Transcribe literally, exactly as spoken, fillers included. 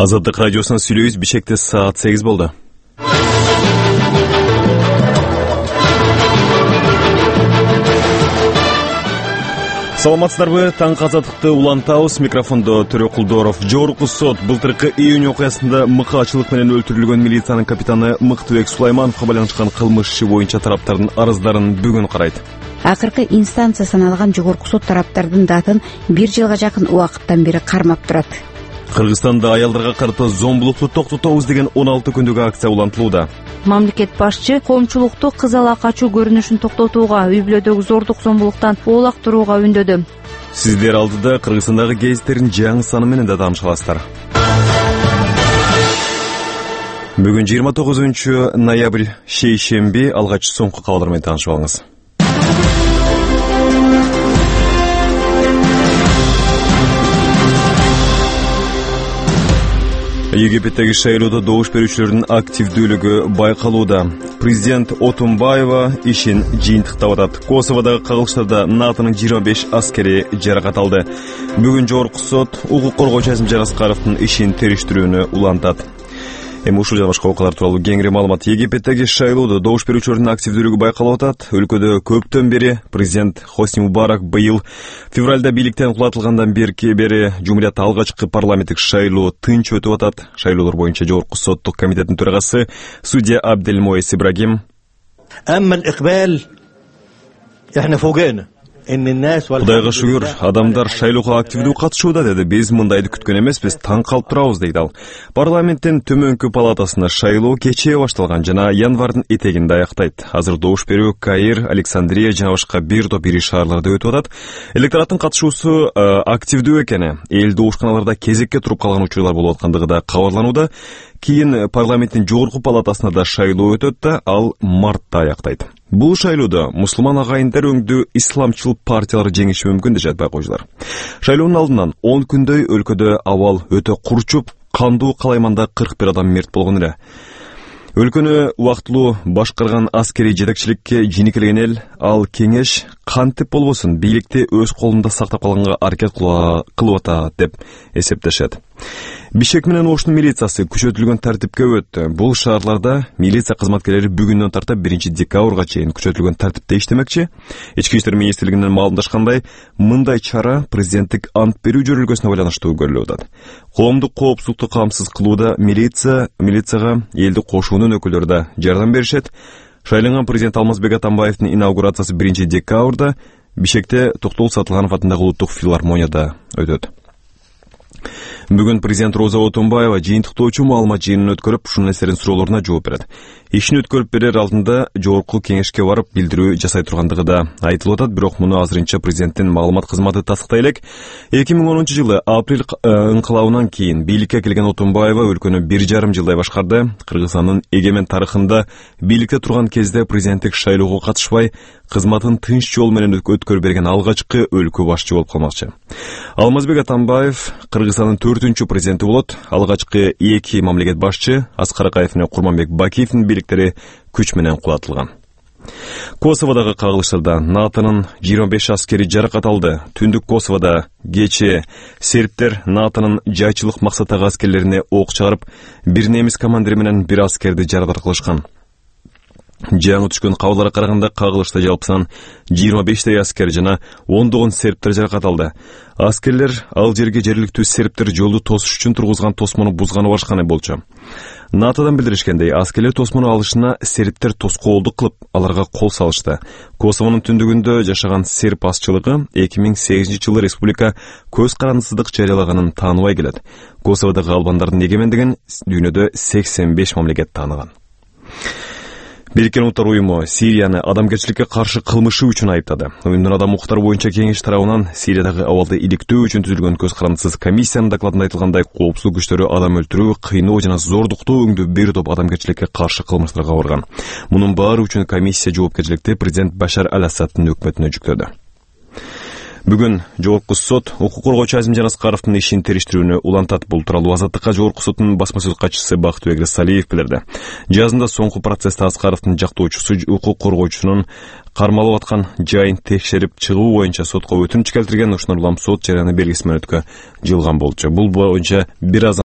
Азаттык радиосунан сүйлөйбүз. Бишкекте саат сегиз болду. Саламатсыздарбы? Таңкы азаттыкты улантабыз. Микрофондо Төрө Кулдоров. Жогорку сот былтыркы июнь окуясында мыкаачылык менен өлтүрүлгөн милициянын капитаны Мыктыбек Сулаймановго байланышкан кылмыш иши боюнча тараптардын арыздарын бүгүн карайт. Акыркы инстанция саналган жогорку сот тараптардын датын бир жылга жакын убакыттан бери кармап турат. Кыргызстанда аялдарга карата зомбулукту токтотобуз деген он алты күндүк акция улантылууда. Мамлекет башчы коомчулукту кыз ала качуу көрүнүшүн токтотууга, үй бүлөдөгү зордук зомбулуктан оолактырууга үндөдү. Сиздер алдыда Кыргызстандагы гезиттердин жаңы саны менен да тааныша аласыздар. Бүгүн жыйырма тогузунчу ноябрь шейшемби, алгач соңку кабарлар менен таанышып алыңыз. Египеттеги шайлоодо добуш берүүчүлөрдүн активдүүлүгү байкалууда. Президент Отунбаева ишин жыйынтыктап атат. Косоводогу кагылыштарда НАТОнун жыйырма беш аскери жаракат алды. Бүгүн жогорку сот укук коргоочу Азимжан Аскаровдун ишин териштирүүнү улантат. Эми ушул жана башка окуялар тууралуу кеңири маалымат. Египеттеги шайлоодо добуш берүүчүлөрдүн активдүүлүгү байкалып атат. Өлкөдө көптөн бери президент Хосни Мубарак быйыл февралда бийликтен кулатылгандан бери жумуриятта алгачкы парламенттик шайлоо тынч өтүп атат. Шайлоолор боюнча жогорку соттук комитеттин төрагасы судья Абделмоис Ибрагим Кудайга шүгүр, адамдар шайлоого активдүү катышууда деди. Биз мындайды күткөн эмеспиз, таң калып турабыз дейт ал. Парламенттин төмөнкү палатасында шайлоо кечээ башталган жана январдын этегинде аяктайт. Азыр добуш берүү Каир, Александрия жана башка бир топ ири шаарларда өтүп атат. Электораттын катышуусу активдүү экени, эл добушканаларда кезекке туруп калган учурлар болуп аткандыгы да кабарланууда. Кийин парламенттин жогорку палатасында да шайлоо өтөт да, ал мартта аяктайт. Бул шайлоодо мусулман агайындар өңдүү исламчыл партиялар жеңиши мүмкүн дешет байкоочулар. Шайлоонун алдынан он күндөй өлкөдө абал өтө курчуп, кандуу калайманда кырк бир адам мерт болгон эле. Өлкөнү убактылуу башкарган аскерий жетекчиликке жийникелген эл ал кеңеш кантип болбосун бийликти өз колунда сактап калганга аракет кылып атат деп эсептешет. Бишкек менен Оштун милициясы күчөтүлгөн тартипке өттү. Бул шаарларда милиция кызматкерлери бүгүндөн тартып биринчи декабрга чейин күчөтүлгөн тартипте иштемекчи. Ички иштер министрлигинен маалымдашкандай, мындай чара президенттик ант берүү жөрөлгөсүнө байланыштуу көрүлүп атат. Коомдук коопсуздукту камсыз кылууда милиция милицияга элди кошуунун өкүлдөрү да жардам беришет. Шайланган президент Алмазбек Атамбаевдин инаугурациясы биринчи декабрда Бишкекте Токтогул Сатылганов атындагы улуттук филармонияда өтөт. Бүгүн президент Роза Отунбаева жыйынтыктоочу маалымат жыйынын өткөрүп, журналисттердин суроолоруна жооп берет. Ишин өткөрүп берер алдында жогорку кеңешке барып билдирүү жасай тургандыгы да айтылып атат, бирок муну азырынча президенттин маалымат кызматы тастыктай элек. эки миң онунчу жылы апрель ыңкылабынан кийин бийликке келген Отунбаева өлкөнү бир жарым жылдай башкарды. Кыргызстандын эгемен тарыхында бийликте турган кезде президенттик шайлоого катышпай, кызматын тынч жол менен өткөрүп берген алгачкы өлкө башчы болуп калмакчы. Алмазбек Атамбаев Кыргызстандын төртүнчү президенти болот. Алгачкы эки мамлекет башчы Аскар Акаев менен Курманбек Бакиевдин бийликтери күч менен кулатылган. Косоводогу кагылыштарда НАТОнун жыйырма беш аскери жаракат алды. Түндүк Косоводо кечээ сербтер НАТОнун жайчылык максаттагы аскерлерине ок чыгарып, бир немис командири менен бир аскерди жаракат кылышкан. Жаңы түшкөн кабарларга караганда кагылышта жалпысынан жыйырма бештей аскер жана ондогон сербтер жаракат алды. Аскерлер ал жерге жергиликтүү сербтер жолду тосуш үчүн тургузган тосмону бузганы барышкан болчу. НАТОдан билдиришкендей, аскерлер тосмону алышына сербтер тоскоолдук кылып, аларга кол салышты. Косовонун түндүгүндө жашаган серб азчылыгы эки миң сегизинчи жылы республика көз карандысыздык жарыялаганын тааныбай келет. Косоводогу албандардын эгемендигин дүйнөдө сексен беш мамлекет тааныган. Бириккен Улуттар уюму Сирияны адамгерчиликке каршы кылмышы үчүн айыптады. Уюмдун адам укуктары боюнча кеңеш тарабынан Сириядагы абалды иликтөө үчүн түзүлгөн көз карандысыз комиссиянын докладында айтылгандай, коопсуздук күчтөрү адам өлтүрүү, кыйноо жана зордуктуу өңдүү бир топ адамгерчиликке каршы кылмыштарга барган. Мунун баары үчүн комиссия жоопкерчиликти президент Башар аль-Асадтын өкмөтүнө жүктөдү. Бүгүн жогорку сот укук коргоочу Азимжан Аскаровдун ишин териштирүүнү улантат. Бул тууралуу Азаттыкка жогорку соттун басма сөз катчысы Бактыбек Рысалиев билдирди. Жазында соңку процессте Аскаровдун жактоочусу укук коргоочусунун кармалып аткан жайын текшерип чыгуу боюнча сотко өтүнүч келтирген. Ушуну улам сот жарыяны белгиси менен өткө жылган болчу. Бул боюнча бир аз